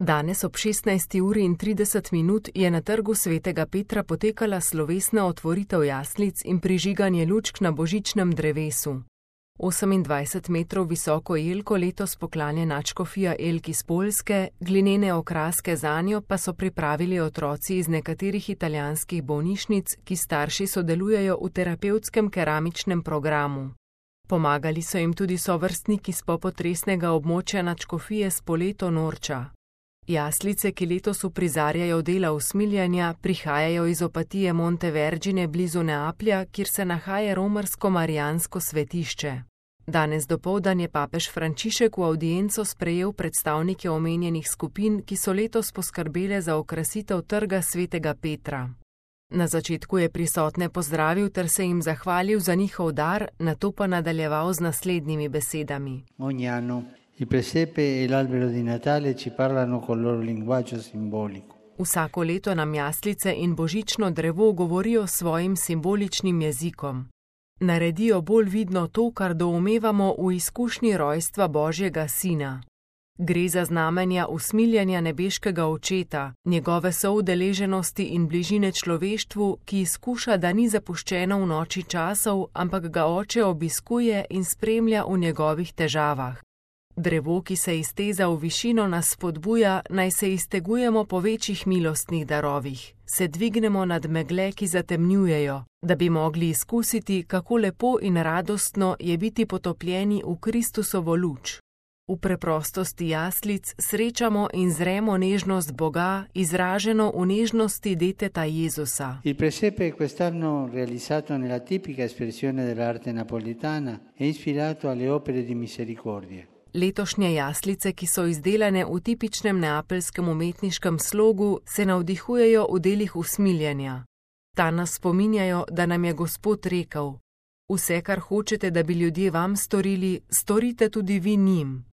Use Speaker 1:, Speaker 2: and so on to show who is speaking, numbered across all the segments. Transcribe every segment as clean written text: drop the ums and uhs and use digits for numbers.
Speaker 1: Danes ob 16:30 je na trgu svetega Petra potekala slovesna otvoritev jaslic in prižiganje lučk na božičnem drevesu. 28 metrov visoko jelko letos poklanja nadškofija Elk iz Poljske, glinene okraske zanjo pa so pripravili otroci iz nekaterih italijanskih bolnišnic, ki starši sodelujejo v terapevtskem keramičnem programu. Pomagali so jim tudi sovrstniki s popotresnega območja nadškofije Spoleto Norča. Jaslice, ki letos uprizarjajo dela usmiljanja, prihajajo iz Opatije Monte Vergine blizu Neaplja, kjer se nahaja romarsko-marijansko svetišče. Danes dopoldan je papež Frančišek v avdienco sprejel predstavnike omenjenih skupin, ki so letos poskrbele za okrasitev trga svetega Petra. Na začetku je prisotne pozdravil ter se jim zahvalil za njihov dar, nato pa nadaljeval z naslednjimi besedami.
Speaker 2: Il presepe e l'albero di Natale ci parlano col loro linguaggio simbolico.
Speaker 1: Vsako leto nam jaslice in božično drevo govorijo svojim simboličnim jezikom. Naredijo bolj vidno to, kar doumevamo v izkušnji rojstva Božjega Sina. Gre za znamenja usmiljanja nebeškega Očeta, njegove soudeleženosti in bližine človeštvu, ki izkuša, da ni zapuščeno v noči časov, ampak ga Oče obiskuje in spremlja v njegovih težavah. Drevo, ki se izteza v višino, nas spodbuja, naj se iztegujemo po večjih milostnih darovih, se dvignemo nad megle, ki zatemnjujejo, da bi mogli izkusiti, kako lepo in radostno je biti potopljeni v Kristusovo luč. V preprostosti jaslic srečamo in zremo nežnost Boga, izraženo v nežnosti deteta Jezusa.
Speaker 2: Il presepe quest'anno realizzato nella tipica espressione dell'arte napoletana è ispirato alle opere di misericordia.
Speaker 1: Letošnje jaslice, ki so izdelane v tipičnem neapeljskem umetniškem slogu, se navdihujejo v delih usmiljanja. Ta nas spominjajo, da nam je Gospod rekel: vse, kar hočete, da bi ljudje vam storili, storite tudi vi njim.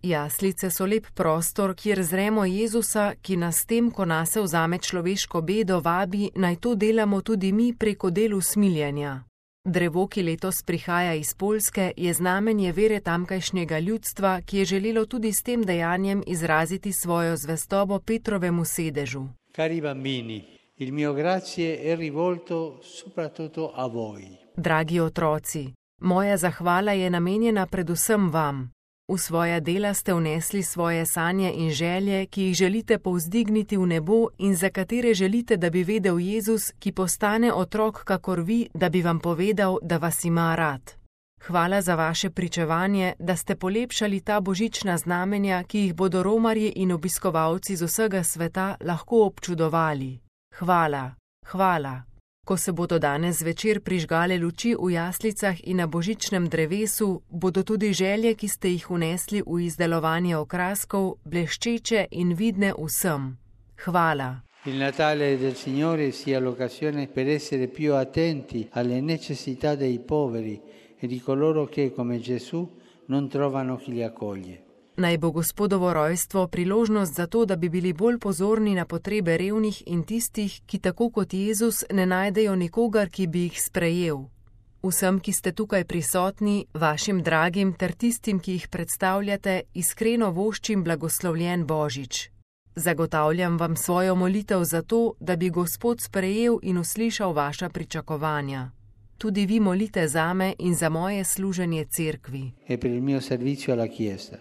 Speaker 1: Jaslice so lep prostor, kjer zremo Jezusa, ki nas s tem, ko nase vzame človeško bedo, vabi, naj to delamo tudi mi preko del usmiljanja. Drevo, ki letos prihaja iz Poljske, je znamenje vere tamkajšnjega ljudstva, ki je želelo tudi s tem dejanjem izraziti svojo zvestobo Petrovemu sedežu.
Speaker 2: Cari bambini, il mio grazie è rivolto soprattutto a voi.
Speaker 1: Dragi otroci, moja zahvala je namenjena predvsem vam. V svoja dela ste vnesli svoje sanje in želje, ki jih želite povzdigniti v nebo in za katere želite, da bi vedel Jezus, ki postane otrok kakor vi, da bi vam povedal, da vas ima rad. Hvala za vaše pričevanje, da ste polepšali ta božična znamenja, ki jih bodo romarji in obiskovalci z vsega sveta lahko občudovali. Hvala, hvala. Ko se bodo danes zvečer prižgale luči v jaslicah in na božičnem drevesu, bodo tudi želje, ki ste jih vnesli v izdelovanje okraskov, bleščeče in vidne vsem. Hvala.
Speaker 2: Il Natale del Signore sia l'occasione per essere più attenti alle necessità dei poveri e di coloro che, come Gesù, non trovano chi li accoglie.
Speaker 1: Naj bo Gospodovo rojstvo priložnost za to, da bi bili bolj pozorni na potrebe revnih in tistih, ki tako kot Jezus ne najdejo nikogar, ki bi jih sprejel. Vsem, ki ste tukaj prisotni, vašim dragim ter tistim, ki jih predstavljate, iskreno voščim blagoslovljen Božič. Zagotavljam vam svojo molitev za to, da bi Gospod sprejel in uslišal vaša pričakovanja. Tudi vi molite zame in za moje služenje cerkvi.
Speaker 2: E per il mio servizio alla Chiesa.